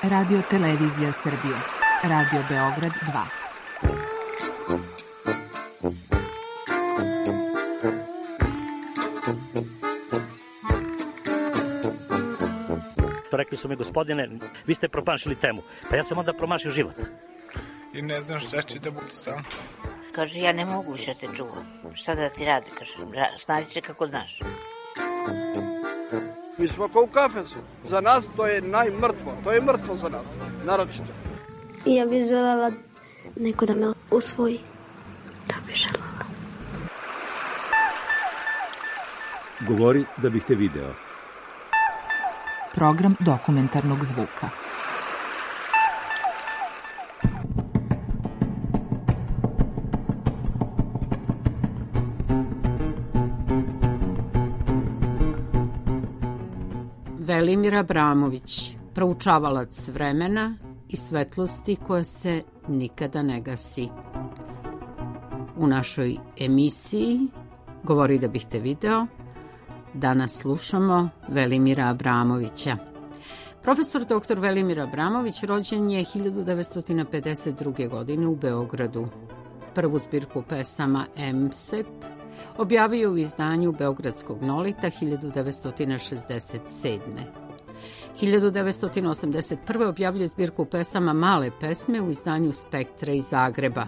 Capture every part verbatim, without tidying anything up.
Radio Televizija Srbije, Radio Beograd dva. Rekli su mi, gospodine, vi ste promašili temu. Pa ja sam onda promašio život. I ne znam šta će da bude sam. Kaže, ja ne mogu više te čuvam. Šta da ti radi, kaže, snađi se kako znaš. Mi smo kao u kafesu. Za nas to je najmrtvo. To je mrtvo za nas, naročito. Ja bih želela neko da me usvoji. To bih želela. Govori da bih te video. Program dokumentarnog zvuka. Velimir Abramović, proučavalac vremena i svetlosti koja se nikada ne gasi. U našoj emisiji Govori da bih te video danas slušamo Velimira Abramovića. Profesor doktor Velimir Abramović rođen je hiljadu devetsto pedeset druge. godine u Beogradu. Prvu zbirku pesama M S E P objavio u izdanju Beogradskog Nolita hiljadu devetsto šezdeset sedme. hiljadu devetsto osamdeset prve. objavljuje zbirku pesama Male pesme u izdanju Spektra iz Zagreba.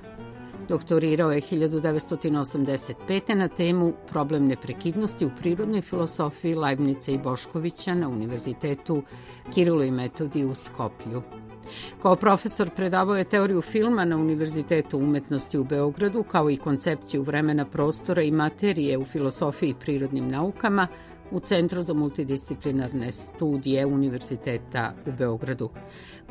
Doktorirao je hiljadu devetsto osamdeset pete. na temu Problem neprekidnosti u prirodnoj filosofiji Leibnica i Boškovića na Univerzitetu Kirilo i Metodij u Skoplju. Kao profesor predavao je teoriju filma na Univerzitetu umetnosti u Beogradu, kao i koncepciju vremena, prostora i materije u filosofiji i prirodnim naukama u Centru za multidisciplinarne studije Univerziteta u Beogradu.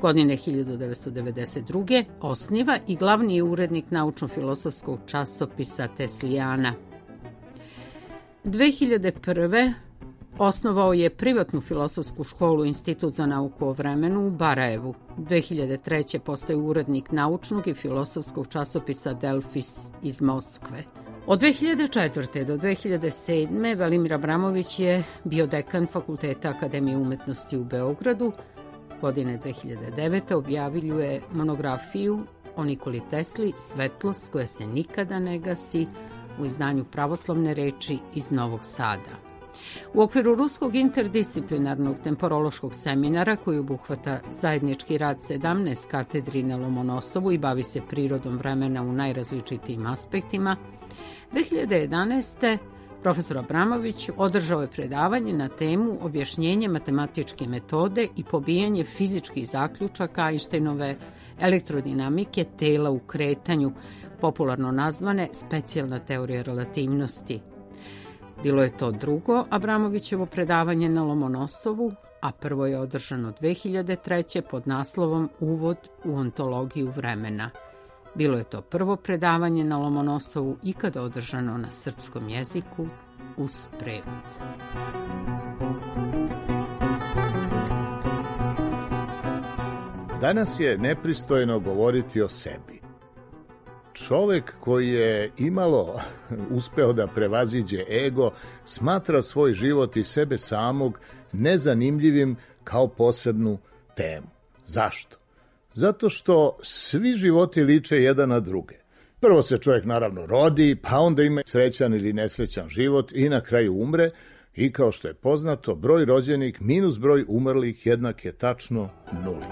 Godine hiljadu devetsto devedeset druge. osniva i glavni je urednik naučno-filosofskog časopisa Teslijana. dve hiljade prve. osnovao je privatnu filosofsku školu Institut za nauku o vremenu u Barajevu. dve hiljade treće. postaje urednik naučnog i filosofskog časopisa Delfis iz Moskve. Od dve hiljade četvrte. do dve hiljade sedme. Velimir Abramović je bio dekan Fakulteta Akademije umetnosti u Beogradu. Godine dve hiljade devete. objavljuje monografiju o Nikoli Tesli Svetlost koja se nikada ne gasi u izdanju Pravoslavne reči iz Novog Sada. U okviru Ruskog interdisciplinarnog temporološkog seminara, koji obuhvata zajednički rad sedamnaest katedri na Lomonosovu i bavi se prirodom vremena u najrazličitijim aspektima, dve hiljade jedanaeste. profesor Abramović održao je predavanje na temu Objašnjenje matematičke metode i pobijanje fizičkih zaključaka Einsteinove elektrodinamike tela u kretanju, popularno nazvane specijalna teorija relativnosti. Bilo je to drugo Abramovićevo predavanje na Lomonosovu, a prvo je održano dve hiljade treće. pod naslovom Uvod u ontologiju vremena. Bilo je to prvo predavanje na Lomonosovu ikada održano na srpskom jeziku uz prevod. Danas je nepristojno govoriti o sebi. Čovek koji je imalo uspeo da prevaziđe ego, smatra svoj život i sebe samog nezanimljivim kao posebnu temu. Zašto? Zato što svi životi liče jedan na druge. Prvo se čovjek naravno rodi, pa onda ima srećan ili nesrećan život i na kraju umre i kao što je poznato, broj rođenih minus broj umrlih jednak je tačno nuli.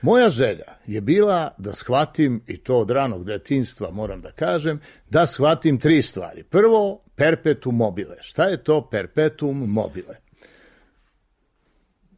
Moja želja je bila da shvatim, i to od ranog detinjstva moram da kažem, da shvatim tri stvari. Prvo, perpetuum mobile. Šta je to perpetuum mobile?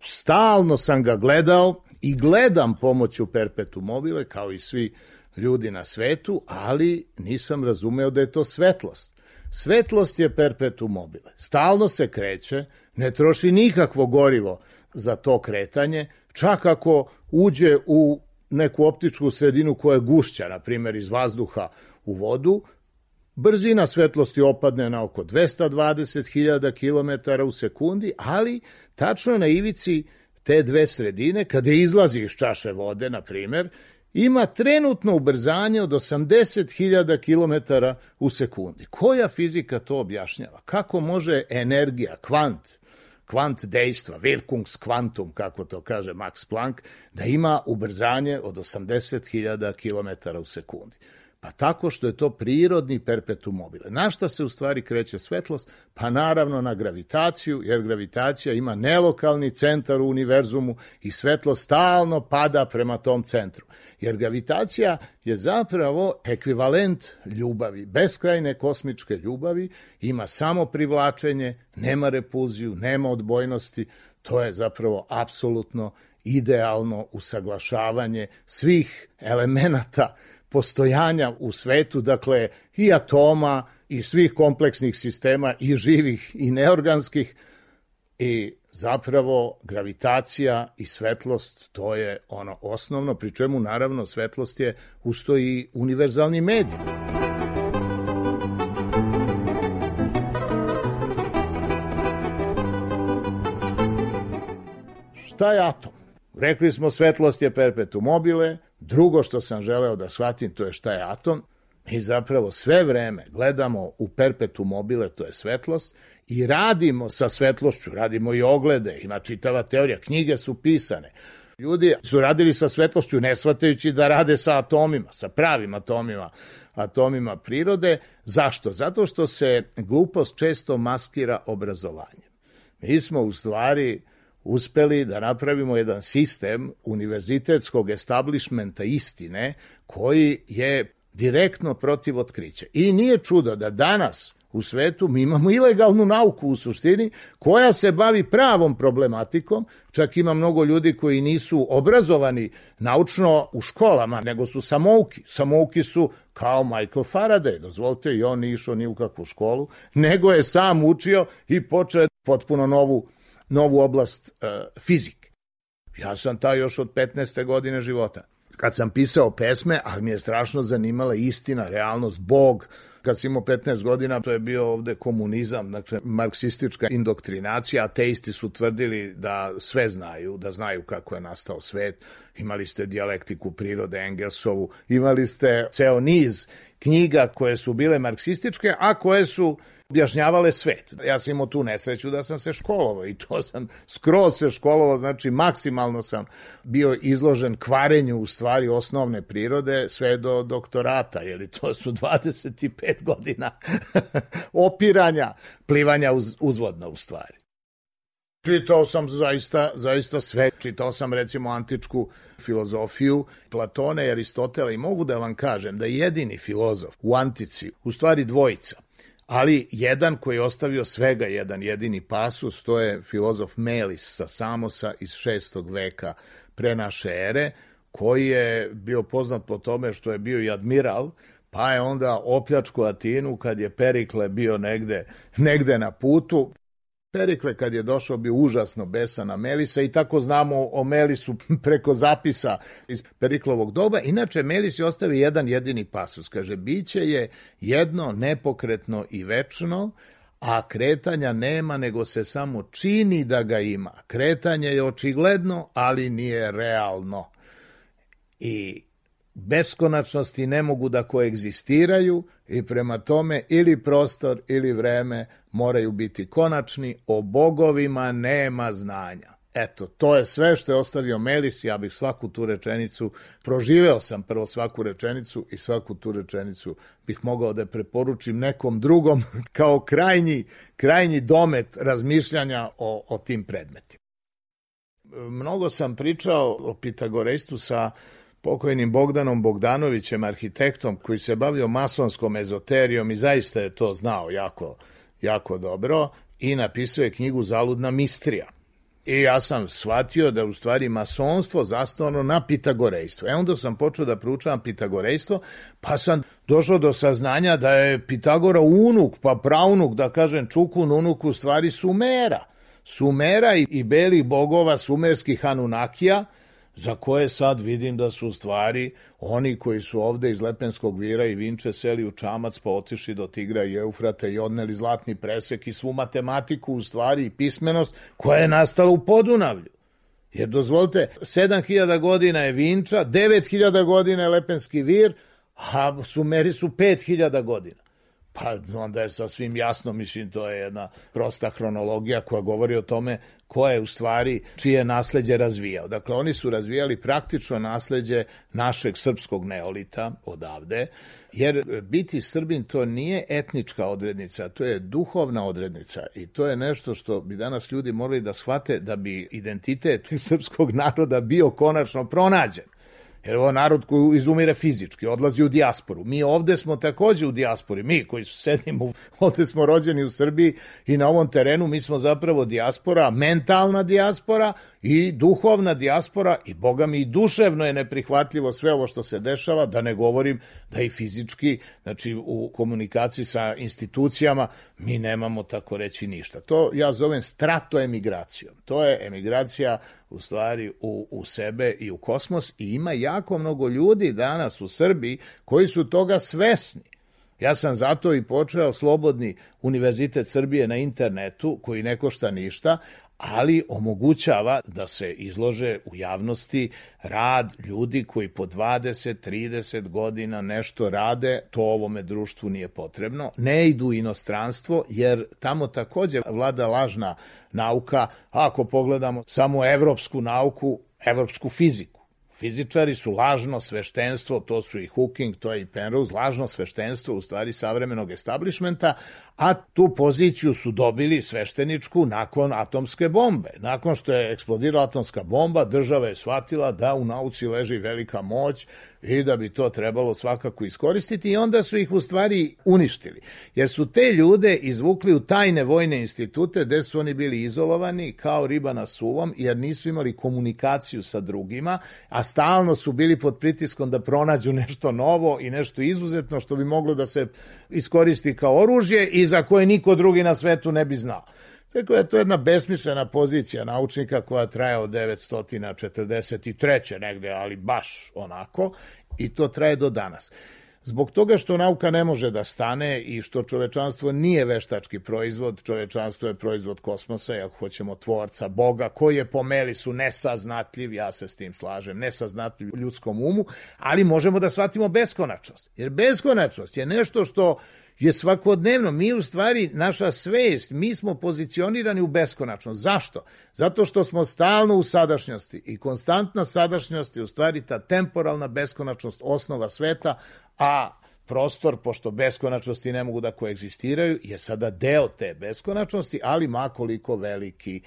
Stalno sam ga gledao i gledam pomoću perpetuum mobile, kao i svi ljudi na svetu, ali nisam razumeo da je to svetlost. Svetlost je perpetuum mobile. Stalno se kreće, ne troši nikakvo gorivo za to kretanje, čak ako uđe u neku optičku sredinu koja je gušća, na primjer iz vazduha u vodu, brzina svetlosti opadne na oko dvesta dvadeset hiljada kilometara u sekundi, ali tačno na ivici te dve sredine, kada izlazi iz čaše vode, na primjer, ima trenutno ubrzanje od osamdeset hiljada kilometara u sekundi. Koja fizika to objašnjava? Kako može energija, kvant, kvant dejstva, Wirkungskvantum, kako to kaže Max Planck, da ima ubrzanje od osamdeset hiljada kilometara u sekundi? Pa tako što je to prirodni perpetuum mobile. Na šta se u stvari kreće svetlost? Pa naravno na gravitaciju, jer gravitacija ima nelokalni centar u univerzumu i svetlost stalno pada prema tom centru. Jer gravitacija je zapravo ekvivalent ljubavi, beskrajne kosmičke ljubavi, ima samo privlačenje, nema repulziju, nema odbojnosti, to je zapravo apsolutno idealno usaglašavanje svih elemenata postojanja u svetu, dakle i atoma i svih kompleksnih sistema i živih i neorganskih, i zapravo gravitacija i svetlost, to je ono osnovno, pri čemu naravno svetlost je usto i univerzalni medij. Šta je atom? Rekli smo svetlost je perpetuum mobile, drugo što sam želeo da shvatim to je šta je atom. Mi zapravo sve vreme gledamo u perpetuum mobile, to je svetlost, i radimo sa svetlošću, radimo i oglede, ima čitava teorija, knjige su pisane. Ljudi su radili sa svetlošću ne shvatajući da rade sa atomima, sa pravim atomima, atomima prirode. Zašto? Zato što se glupost često maskira obrazovanjem. Mi smo u stvari uspeli da napravimo jedan sistem univerzitetskog establishmenta istine koji je direktno protiv otkrića. I nije čudo da danas u svetu mi imamo ilegalnu nauku u suštini koja se bavi pravom problematikom, čak ima mnogo ljudi koji nisu obrazovani naučno u školama, nego su samouki. Samouki su kao Michael Faraday, dozvolite, i on nije išao ni u kakvu školu, nego je sam učio i počeo potpuno novu novu oblast uh, fizike. Ja sam taj još od petnaeste godine života. Kad sam pisao pesme, ali mi je strašno zanimala istina, realnost, Bog. Kad sam imao petnaest godina, to je bio ovde komunizam, dakle, marksistička indoktrinacija, ateisti su tvrdili da sve znaju, da znaju kako je nastao svet. Imali ste dijalektiku prirode Engelsovu, imali ste ceo niz knjiga koje su bile marksističke, a koje su objašnjavale svet. Ja sam imao tu nesreću da sam se školovao i to sam skroz se školovao, znači maksimalno sam bio izložen kvarenju u stvari osnovne prirode sve do doktorata, jer to su dvadeset pet godina opiranja, plivanja uz, uzvodno u stvari. Čitao sam zaista, zaista sve. Čitao sam recimo antičku filozofiju Platona i Aristotela i mogu da vam kažem da je jedini filozof u antici u stvari dvojica, ali jedan koji je ostavio svega jedan jedini pasus, to je filozof Melis sa Samosa iz šestog veka pre naše ere, koji je bio poznat po tome što je bio i admiral, pa je onda opljačku Atinu kad je Perikle bio negde, negde na putu. Perikle kad je došao bio užasno besan na Melisa i tako znamo o Melisu preko zapisa iz Periklovog doba. Inače, Melis je ostavio jedan jedini pasus. Kaže, biće je jedno, nepokretno i večno, a kretanja nema, nego se samo čini da ga ima. Kretanje je očigledno, ali nije realno. I beskonačnosti ne mogu da koegzistiraju i prema tome ili prostor ili vreme moraju biti konačni, o bogovima nema znanja. Eto, to je sve što je ostavio Melis, ja bih svaku tu rečenicu, proživeo sam prvo svaku rečenicu i svaku tu rečenicu bih mogao da preporučim nekom drugom kao krajnji, krajnji domet razmišljanja o, o tim predmetima. Mnogo sam pričao o pitagorejstvu sa pokojnim Bogdanom Bogdanovićem, arhitektom koji se bavio masonskom ezoterijom i zaista je to znao jako, jako dobro i napisao je knjigu Zaludna mistrija. I ja sam shvatio da u stvari masonstvo zasnovano na pitagorejstvu. E onda sam počeo da proučavam pitagorejstvo, pa sam došao do saznanja da je Pitagora unuk, pa praunuk, da kažem Čukun unuk u stvari Sumera. Sumera i, i belih bogova sumerskih Anunnakija, za koje sad vidim da su u stvari oni koji su ovde iz Lepenskog vira i Vinče seli u čamac pa otišli do Tigra i Eufrata i odneli zlatni presek i svu matematiku u stvari i pismenost koja je nastala u Podunavlju. Jer dozvolite, sedam hiljada godina je Vinča, devet hiljada godina je Lepenski vir, a Sumeri su pet hiljada godina. Pa onda je sasvim jasno, mislim, to je jedna prosta hronologija koja govori o tome ko je u stvari čije nasleđe razvijao. Dakle, oni su razvijali praktično nasleđe našeg srpskog neolita odavde, jer biti Srbin to nije etnička odrednica, to je duhovna odrednica i to je nešto što bi danas ljudi morali da shvate da bi identitet srpskog naroda bio konačno pronađen. Jer ovo narod koji izumire fizički, odlazi u dijasporu. Mi ovde smo takođe u dijaspori, mi koji sedimo, ovde smo rođeni u Srbiji i na ovom terenu mi smo zapravo dijaspora, mentalna dijaspora i duhovna dijaspora i boga mi i duševno je neprihvatljivo sve ovo što se dešava, da ne govorim da i fizički, znači u komunikaciji sa institucijama mi nemamo tako reći ništa. To ja zovem stratoemigracijom. To je emigracija u stvari u, u sebe i u kosmos i ima jako mnogo ljudi danas u Srbiji koji su toga svesni. Ja sam zato i počeo Slobodni univerzitet Srbije na internetu koji ne košta ništa, ali omogućava da se izlože u javnosti rad ljudi koji po dvadeset trideset godina nešto rade, to ovome društvu nije potrebno, ne idu u inostranstvo jer tamo takođe vlada lažna nauka, ako pogledamo samo evropsku nauku, evropsku fiziku. Fizičari su lažno sveštenstvo, to su i Hawking, to je i Penrose, lažno sveštenstvo u stvari savremenog establishmenta, a tu poziciju su dobili svešteničku nakon atomske bombe. Nakon što je eksplodirala atomska bomba, država je shvatila da u nauci leži velika moć i da bi to trebalo svakako iskoristiti i onda su ih u stvari uništili. Jer su te ljude izvukli u tajne vojne institute gde su oni bili izolovani kao riba na suvom jer nisu imali komunikaciju sa drugima, a stalno su bili pod pritiskom da pronađu nešto novo i nešto izuzetno što bi moglo da se iskoristi kao oružje i za koje niko drugi na svetu ne bi znao. Tako je to jedna besmislena pozicija naučnika koja traje od devetsto četrdeset treće negde, ali baš onako, i to traje do danas. Zbog toga što nauka ne može da stane i što čovečanstvo nije veštački proizvod, čovečanstvo je proizvod kosmosa, i ako hoćemo tvorca, Boga, koji je po Melisu nesaznatljiv, ja se s tim slažem, nesaznatljiv u ljudskom umu, ali možemo da shvatimo beskonačnost. Jer beskonačnost je nešto što je svakodnevno, mi u stvari, naša svest, mi smo pozicionirani u beskonačnost. Zašto? Zato što smo stalno u sadašnjosti i konstantna sadašnjost je u stvari ta temporalna beskonačnost osnova sveta, a prostor, pošto beskonačnosti ne mogu da koegzistiraju, je sada deo te beskonačnosti, ali makoliko veliki.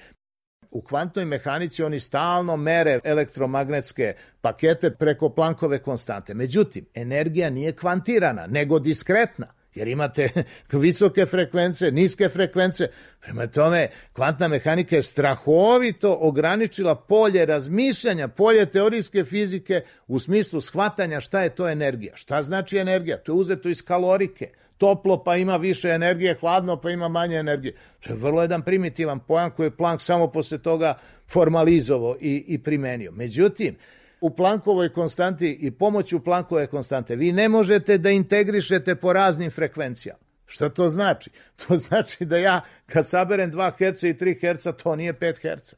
U kvantnoj mehanici oni stalno mere elektromagnetske pakete preko Planckove konstante. Međutim, energija nije kvantirana, nego diskretna. Jer imate visoke frekvence, niske frekvence. Prema tome, kvantna mehanika je strahovito ograničila polje razmišljanja, polje teorijske fizike u smislu shvatanja šta je to energija. Šta znači energija? To je uzeto iz kalorike. Toplo pa ima više energije, hladno pa ima manje energije. To je vrlo jedan primitivan pojam koji je Planck samo posle toga formalizovao i, i primenio. Međutim, u Planckovoj konstanti i pomoću Planckove konstante vi ne možete da integrišete po raznim frekvencijama. Šta to znači? To znači da ja kad saberem dva herca i tri herca, to nije pet herca.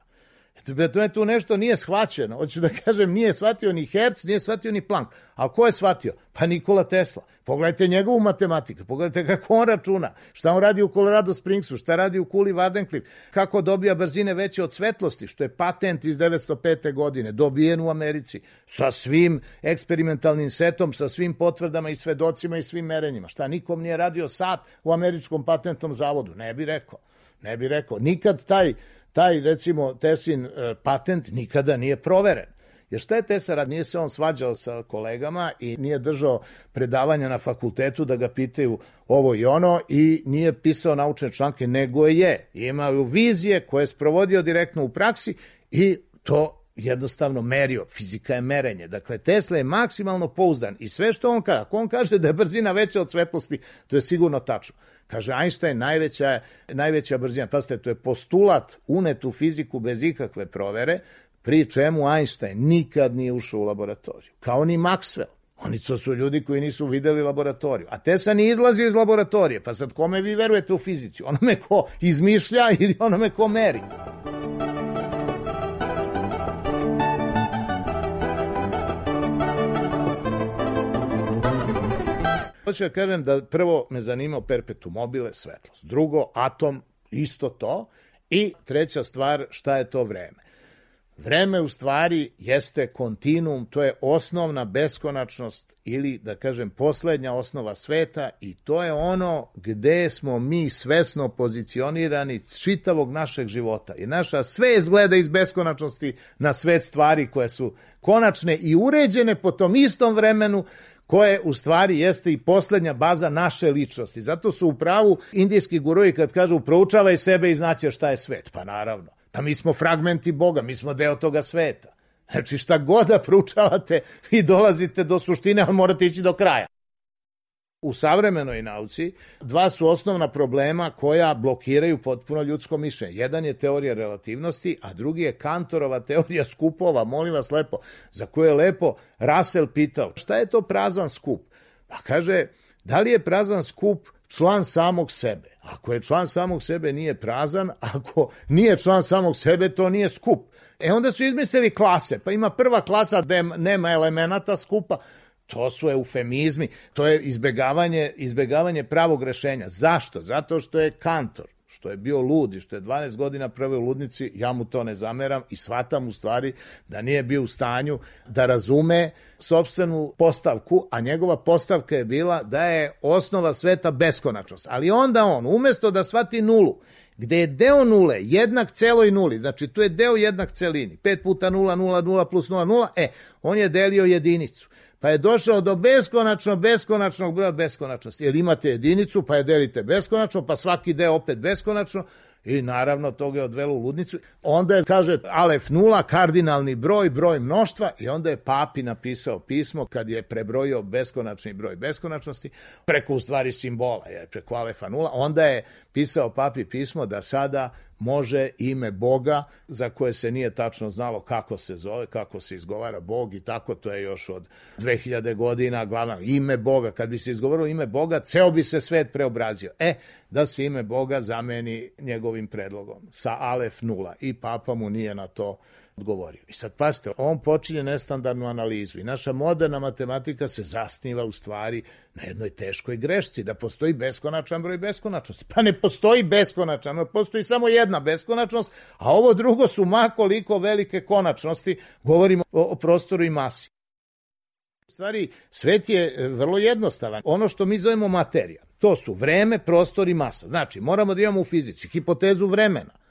To tu nešto nije shvaćeno. Hoću da kažem, nije shvatio ni Herc, nije shvatio ni Planck. A ko je shvatio? Pa Nikola Tesla. Pogledajte njegovu matematiku, pogledajte kako on računa, šta on radi u Colorado Springsu, šta radi u kuli Wardenclyffe, kako dobija brzine veće od svetlosti, što je patent iz devetsto pete godine, dobijen u Americi, sa svim eksperimentalnim setom, sa svim potvrdama i svedocima i svim merenjima. Šta, nikom nije radio sat u američkom patentnom zavodu? Ne bi rekao. Ne bi rekao. Nikad taj, taj recimo, Teslin patent nikada nije proveren. Jer šta je Tesla rad? Nije se on svađao sa kolegama i nije držao predavanja na fakultetu da ga pitaju ovo i ono i nije pisao naučne članke, nego je. Imao vizije koje je sprovodio direktno u praksi i to jednostavno merio. Fizika je merenje. Dakle, Tesla je maksimalno pouzdan i sve što on kaže, ako on kaže da je brzina veća od svetlosti, to je sigurno tačno. Kaže, Einstein najveća, najveća brzina. Pazite, to je postulat unet u fiziku bez ikakve provere, pri čemu Einstein nikad nije ušao u laboratoriju. Kao ni Maxwell. Oni to su ljudi koji nisu videli laboratoriju. A Tesla nije izlazio iz laboratorije. Pa sad kome vi verujete u fizici? Onome ko izmišlja ili onome ko meri? Hoću da kažem da prvo me zanimao perpetuum mobile, svetlost. Drugo, atom, isto to. I treća stvar, šta je to vreme? Vreme u stvari jeste kontinuum, to je osnovna beskonačnost ili, da kažem, poslednja osnova sveta i to je ono gde smo mi svesno pozicionirani čitavog našeg života. I naša svest gleda iz beskonačnosti na svet stvari koje su konačne i uređene po tom istom vremenu koje u stvari jeste i poslednja baza naše ličnosti. Zato su u pravu indijski guruji kad kažu proučavaj sebe i znaćeš šta je svet. Pa naravno. Pa mi smo fragmenti Boga, mi smo deo toga sveta. Znači šta god da proučavate i dolazite do suštine, ali morate ići do kraja. U savremenoj nauci dva su osnovna problema koja blokiraju potpuno ljudsko mišljenje. Jedan je teorija relativnosti, a drugi je Kantorova teorija skupova, molim vas lepo, za koju je lepo Russell pitao. Šta je to prazan skup? Pa kaže, da li je prazan skup član samog sebe? Ako je član samog sebe, nije prazan, ako nije član samog sebe, to nije skup. E onda su izmislili klase, pa ima prva klasa gde nema elemenata skupa, to su eufemizmi, to je izbegavanje, izbegavanje pravog rešenja. Zašto? Zato što je Kantor, što je bio lud i što je dvanaest godina proveo u ludnici, ja mu to ne zameram i shvatam u stvari da nije bio u stanju da razume sopstvenu postavku, a njegova postavka je bila da je osnova sveta beskonačnost. Ali onda on, umesto da shvati nulu, gde je deo nule jednak celoj nuli, znači tu je deo jednak celini, pet puta nula, nula, nula plus nula, nula, e, on je delio jedinicu. Pa je došao do beskonačno, beskonačnog broja beskonačnosti. Jer imate jedinicu, pa je delite beskonačno, pa svaki deo opet beskonačno i naravno toga je odvelo u ludnicu. Onda je, kaže, alef nula, kardinalni broj, broj mnoštva i onda je papi napisao pismo kad je prebrojio beskonačni broj beskonačnosti preko u stvari simbola, jer preko alefa nula. Onda je pisao papi pismo da sada može ime Boga, za koje se nije tačno znalo kako se zove, kako se izgovara Bog i tako, to je još od dve hiljade godina, glavno ime Boga. Kad bi se izgovorilo ime Boga, ceo bi se svet preobrazio. E, da se ime Boga zameni njegovim predlogom sa alef nula i papa mu nije na to odgovorio. I sad pazite, on počinje nestandardnu analizu i naša moderna matematika se zasniva u stvari na jednoj teškoj grešci, da postoji beskonačan broj beskonačnosti. Pa ne postoji beskonačan, postoji samo jedna beskonačnost, a ovo drugo su ma koliko velike konačnosti, govorimo o, o prostoru i masi. U stvari, svet je vrlo jednostavan. Ono što mi zovemo materija, to su vreme, prostor i masa. Znači, moramo da imamo u fizici hipotezu vremena.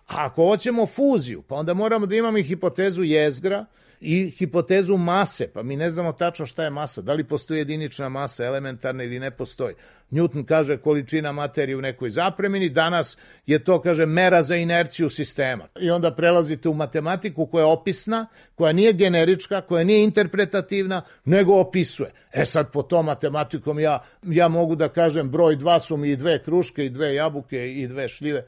A ako hoćemo fuziju, pa onda moramo da imamo i hipotezu jezgra i hipotezu mase, pa mi ne znamo tačno šta je masa, da li postoji jedinična masa, elementarna ili ne postoji. Newton kaže količina materije u nekoj zapremini, danas je to, kaže, mera za inerciju sistema. I onda prelazite u matematiku koja je opisna, koja nije generička, koja nije interpretativna, nego opisuje. E sad po tom matematikom ja, ja mogu da kažem broj dva su mi i dve kruške, i dve jabuke, i dve šljive.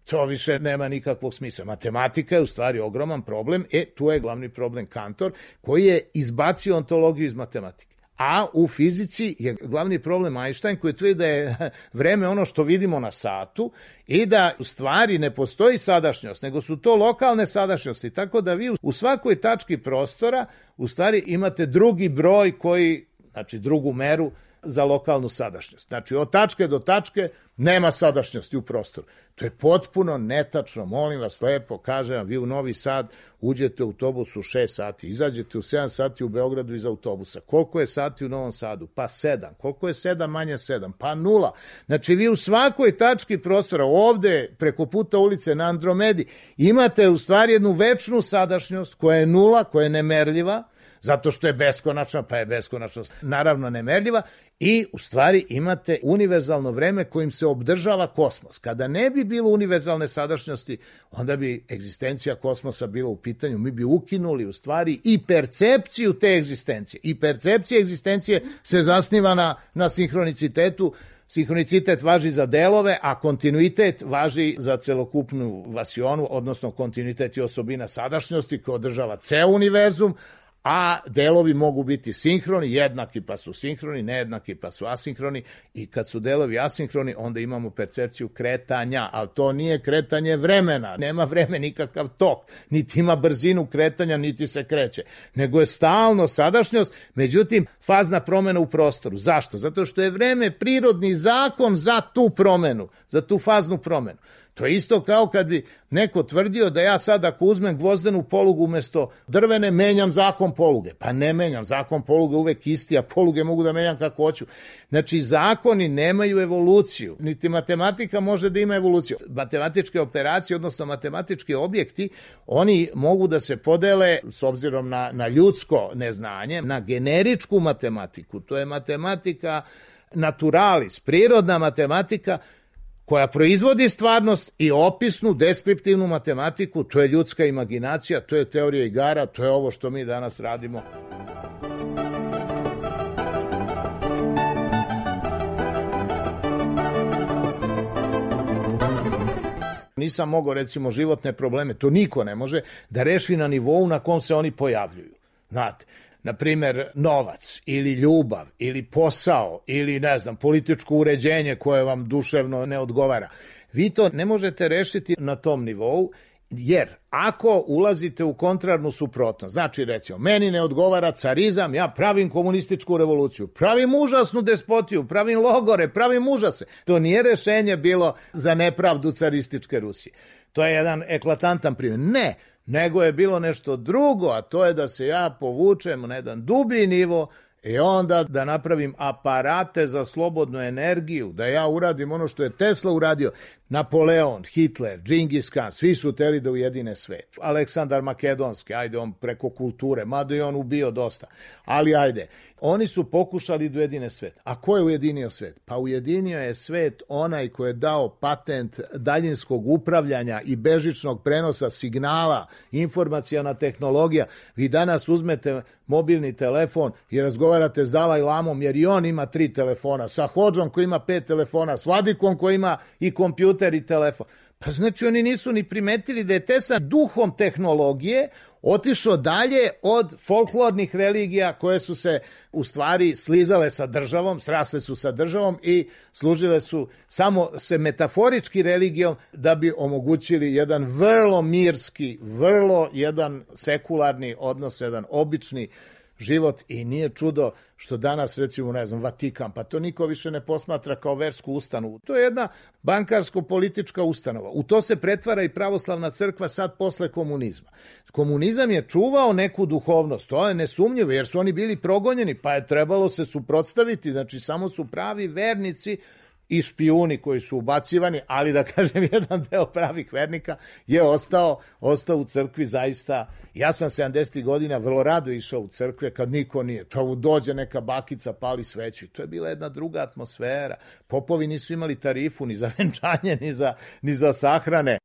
To više nema nikakvog smisla. Matematika je u stvari ogroman problem, e, tu je glavni problem Kantor, koji je izbacio ontologiju iz matematike. A u fizici je glavni problem Einstein, koji tvrdi da je vreme ono što vidimo na satu i da u stvari ne postoji sadašnjost, nego su to lokalne sadašnjosti, tako da vi u svakoj tački prostora u stvari imate drugi broj koji, znači drugu meru, za lokalnu sadašnjost. Znači, od tačke do tačke nema sadašnjosti u prostoru. To je potpuno netačno. Molim vas lepo, kažem vam, vi u Novi Sad uđete u autobus u šest sati, izađete u sedam sati u Beogradu iz autobusa. Koliko je sati u Novom Sadu? Pa sedam. Koliko je sedam manje sedam? Pa nula. Znači, vi u svakoj tački prostora, ovde, preko puta ulice na Andromedi, imate u stvari jednu večnu sadašnjost koja je nula, koja je nemerljiva, zato što je beskonačna, pa je beskonačnost naravno nemerljiva i u stvari imate univerzalno vreme kojim se obdržava kosmos. Kada ne bi bilo univerzalne sadašnjosti, onda bi egzistencija kosmosa bila u pitanju, mi bi ukinuli u stvari i percepciju te egzistencije. I percepcija egzistencije se zasniva na, na sinhronicitetu. Sinhronicitet važi za delove, a kontinuitet važi za celokupnu vasionu, odnosno kontinuitet je osobina sadašnjosti koja održava ceo univerzum, a delovi mogu biti sinhroni, jednaki pa su sinhroni, nejednaki pa su asinhroni i kad su delovi asinhroni onda imamo percepciju kretanja, ali to nije kretanje vremena, nema vreme nikakav tok, niti ima brzinu kretanja, niti se kreće, nego je stalno sadašnjost, međutim fazna promena u prostoru. Zašto? Zato što je vreme prirodni zakon za tu promenu, za tu faznu promenu. To je isto kao kad bi neko tvrdio da ja sad ako uzmem gvozdenu polugu umesto drvene, menjam zakon poluge. Pa ne menjam, zakon poluge uvek isti, a poluge mogu da menjam kako hoću. Znači, zakoni nemaju evoluciju, niti matematika može da ima evoluciju. Matematičke operacije, odnosno matematički objekti, oni mogu da se podele, s obzirom na, na ljudsko neznanje, na generičku matematiku. To je matematika naturalis, prirodna matematika, koja proizvodi stvarnost, i opisnu, deskriptivnu matematiku, to je ljudska imaginacija, to je teorija igara, to je ovo što mi danas radimo. Nisam mogao, recimo, životne probleme, to niko ne može, da reši na nivou na kom se oni pojavljuju. Znate, na primer, novac ili ljubav ili posao ili, ne znam, političko uređenje koje vam duševno ne odgovara. Vi to ne možete rešiti na tom nivou, jer ako ulazite u kontrarnu suprotnost, znači, recimo, meni ne odgovara carizam, ja pravim komunističku revoluciju, pravim užasnu despotiju, pravim logore, pravim užase. To nije rešenje bilo za nepravdu carističke Rusije. To je jedan eklatantan primjer. Ne, nego je bilo nešto drugo, a to je da se ja povučem na jedan dublji nivo i onda da napravim aparate za slobodnu energiju, da ja uradim ono što je Tesla uradio. Napoleon, Hitler, Džingis Kan, svi su hteli da ujedine svet. Aleksandar Makedonski, ajde, on preko kulture, mada je on ubio dosta, ali ajde. Oni su pokušali da ujedine svet. A ko je ujedinio svet? Pa ujedinio je svet onaj ko je dao patent daljinskog upravljanja i bežičnog prenosa signala, informacijana tehnologija. Vi danas uzmete mobilni telefon i razgovarate s Dalaj Lamom, jer i on ima tri telefona, sa Hodžom koji ima pet telefona, s Vladikom koji ima i kompjuter i telefon. Pa znači oni nisu ni primetili da je Tesla duhom tehnologije otišao dalje od folklornih religija koje su se u stvari slizale sa državom, srasle su sa državom i služile su samo se metaforički religijom da bi omogućili jedan vrlo mirski, vrlo jedan sekularni odnos, jedan obični život. I nije čudo što danas, recimo, ne znam, Vatikan, pa to niko više ne posmatra kao versku ustanovu. To je jedna bankarsko-politička ustanova. U to se pretvara i pravoslavna crkva sad posle komunizma. Komunizam je čuvao neku duhovnost, to je nesumnjivo, jer su oni bili progonjeni, pa je trebalo se suprotstaviti, znači samo su pravi vernici i špijuni koji su ubacivani, ali da kažem, jedan deo pravih vernika je ostao, ostao u crkvi zaista. Ja sam sedamdesetih godina vrlo rado išao u crkve kad niko nije. To dođe neka bakica, pali sveću. To je bila jedna druga atmosfera. Popovi nisu imali tarifu ni za venčanje, ni za, ni za sahrane.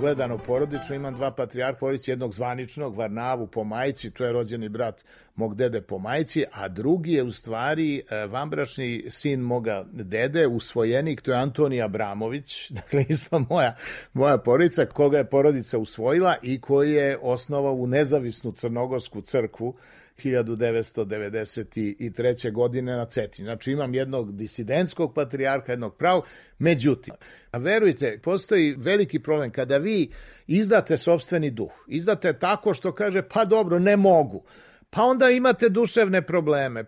Gledano porodično, imam dva patrijarha, porodici, jednog zvaničnog, Varnavu po majci, to je rođeni brat mog dede po majci, a drugi je u stvari vanbračni sin moga dede, usvojenik, to je Antonij Abramović, dakle isto moja, moja porodica, koga je porodica usvojila i koji je osnovao u nezavisnu crnogorsku crkvu hiljadu devetsto devedeset treće. godine na Cetinju. Znači imam jednog disidentskog patrijarha, jednog pravog. Međutim, verujte, postoji veliki problem kada vi izdate sopstveni duh. Izdate tako što kaže, pa dobro, ne mogu. Pa onda imate duševne probleme.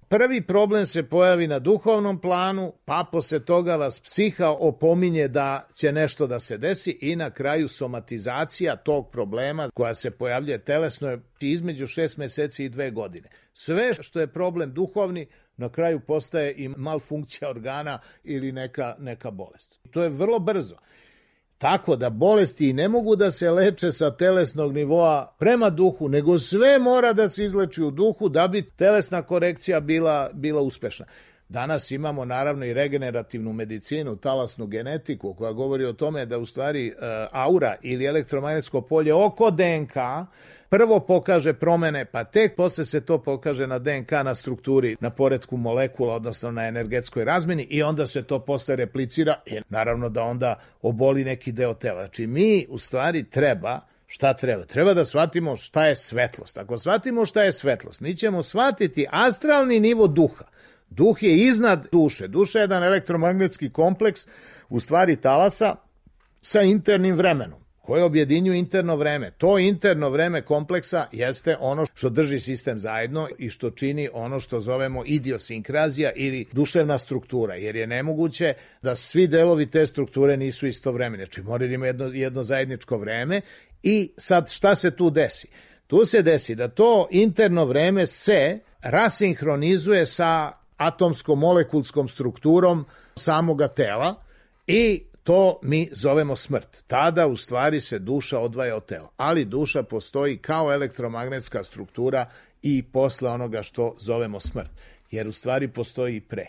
Prvi problem se pojavi na duhovnom planu, pa posle toga vas psiha opominje da će nešto da se desi i na kraju somatizacija tog problema koja se pojavljuje telesno je između šest meseci i dve godine. Sve što je problem duhovni na kraju postaje i malfunkcija organa ili neka, neka bolest. To je vrlo brzo. Tako da bolesti ne mogu da se leče sa telesnog nivoa prema duhu, nego sve mora da se izleči u duhu da bi telesna korekcija bila, bila uspešna. Danas imamo naravno i regenerativnu medicinu, talasnu genetiku koja govori o tome da u stvari aura ili elektromagnetsko polje oko D N K prvo pokaže promene, pa tek posle se to pokaže na D N K, na strukturi, na poretku molekula, odnosno na energetskoj razmeni i onda se to posle replicira i naravno da onda oboli neki deo tela. Znači mi u stvari treba, šta treba? Treba da shvatimo šta je svetlost. Ako shvatimo šta je svetlost, mi ćemo shvatiti astralni nivo duha. Duh je iznad duše. Duša je jedan elektromagnetski kompleks, u stvari talasa, sa internim vremenom, koje objedinju interno vreme. To interno vreme kompleksa jeste ono što drži sistem zajedno i što čini ono što zovemo idiosinkrazija ili duševna struktura, jer je nemoguće da svi delovi te strukture nisu istovremeni. Znači mora da ima jedno, jedno zajedničko vreme i sad šta se tu desi? Tu se desi da to interno vreme se rasinhronizuje sa atomsko-molekulskom strukturom samoga tela i to mi zovemo smrt. Tada u stvari se duša odvaja od tela. Ali duša postoji kao elektromagnetska struktura i posle onoga što zovemo smrt. Jer u stvari postoji i pre.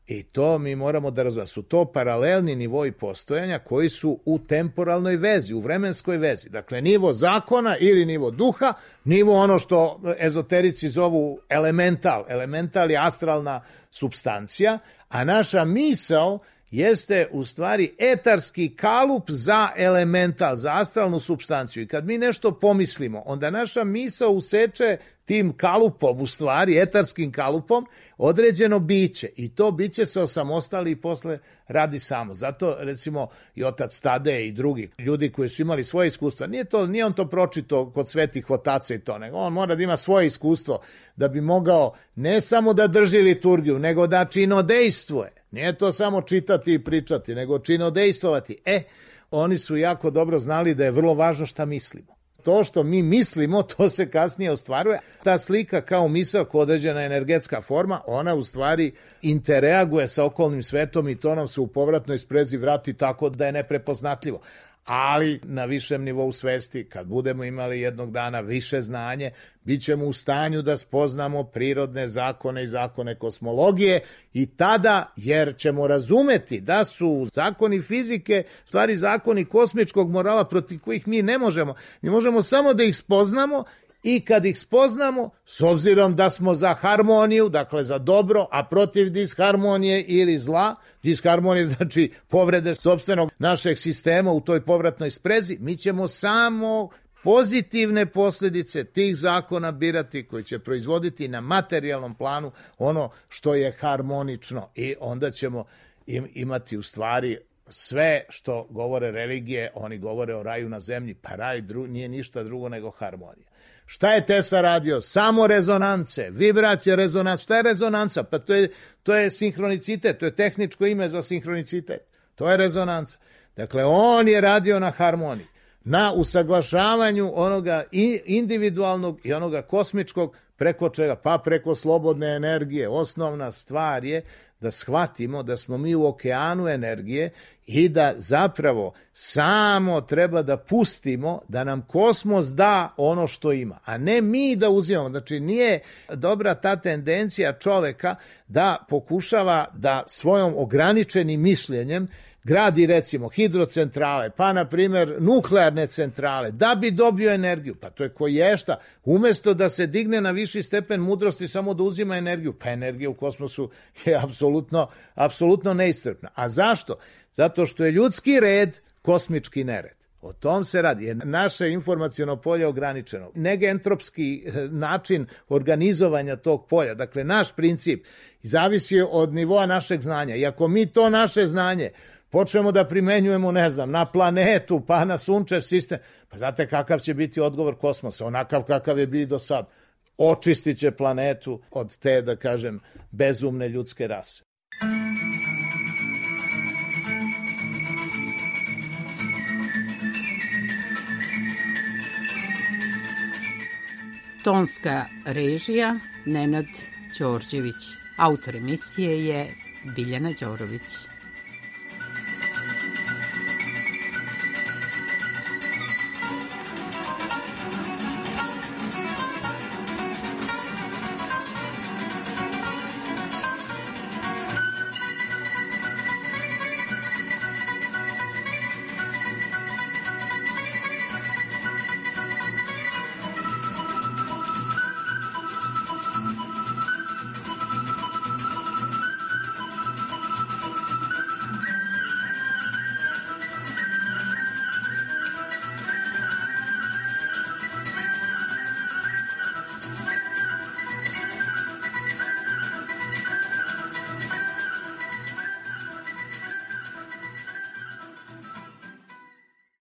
I to mi moramo da razumemo. Su to paralelni nivoi postojanja koji su u temporalnoj vezi, u vremenskoj vezi. Dakle, nivo zakona ili nivo duha, nivo ono što ezoterici zovu elemental. Elemental je astralna supstancija, a naša misao jeste u stvari etarski kalup za elemental, za astralnu supstanciju. I kad mi nešto pomislimo, onda naša misao useče tim kalupom, u stvari etarskim kalupom, određeno biće. I to biće se osamostali i posle radi samo. Zato, recimo, i otac Tadej i drugi ljudi koji su imali svoje iskustva, nije, to, nije on to pročito kod svetih otaca i to, nego on mora da ima svoje iskustvo da bi mogao ne samo da drži liturgiju, nego da činodejstvuje. Nije to samo čitati i pričati, nego činodejstvovati. E, oni su jako dobro znali da je vrlo važno šta mislimo. To što mi mislimo, to se kasnije ostvaruje. Ta slika kao misao, kao određena energetska forma, ona u stvari interreaguje sa okolnim svetom i to nam se u povratnoj sprezi vrati tako da je neprepoznatljivo. Ali na višem nivou svesti, kad budemo imali jednog dana više znanje, bit ćemo u stanju da spoznamo prirodne zakone i zakone kosmologije i tada, jer ćemo razumeti da su zakoni fizike, stvari zakoni kosmičkog morala protiv kojih mi ne možemo. Mi možemo samo da ih spoznamo i kad ih spoznamo, s obzirom da smo za harmoniju, dakle za dobro, a protiv disharmonije ili zla, disharmonije znači povrede sopstvenog našeg sistema u toj povratnoj sprezi, mi ćemo samo pozitivne posljedice tih zakona birati koji će proizvoditi na materijalnom planu ono što je harmonično i onda ćemo im imati u stvari sve što govore religije, oni govore o raju na zemlji, pa raj dru, nije ništa drugo nego harmonija. Šta je Tesla radio? Samo rezonance, vibracija, rezonanca. Šta je rezonanca? Pa to je, to je sinhronicitet, to je tehničko ime za sinhronicitet. To je rezonanca. Dakle, on je radio na harmoniji, na usaglašavanju onoga individualnog i onoga kosmičkog, preko čega? Pa preko slobodne energije. Osnovna stvar je da shvatimo da smo mi u okeanu energije i da zapravo samo treba da pustimo da nam kosmos da ono što ima, a ne mi da uzimamo. Znači nije dobra ta tendencija čoveka da pokušava da svojom ograničenim mišljenjem gradi recimo hidrocentrale, pa na primjer nuklearne centrale, da bi dobio energiju. Pa to je koješta. Umesto da se digne na viši stepen mudrosti samo da uzima energiju, pa energija u kosmosu je apsolutno, apsolutno neiscrpna. A zašto? Zato što je ljudski red kosmički nered. O tom se radi. Je naše informaciono polje ograničeno. Negentropski način organizovanja tog polja, dakle naš princip, zavisi od nivoa našeg znanja. I ako mi to naše znanje počnemo da primenjujemo, ne znam, na planetu, pa na sunčev sistem, pa znate kakav će biti odgovor kosmosa, onakav kakav je bio do sad. Očistit će planetu od te, da kažem, bezumne ljudske rase. Tonska režija Nenad Đorđević. Autor emisije je Biljana Đorović.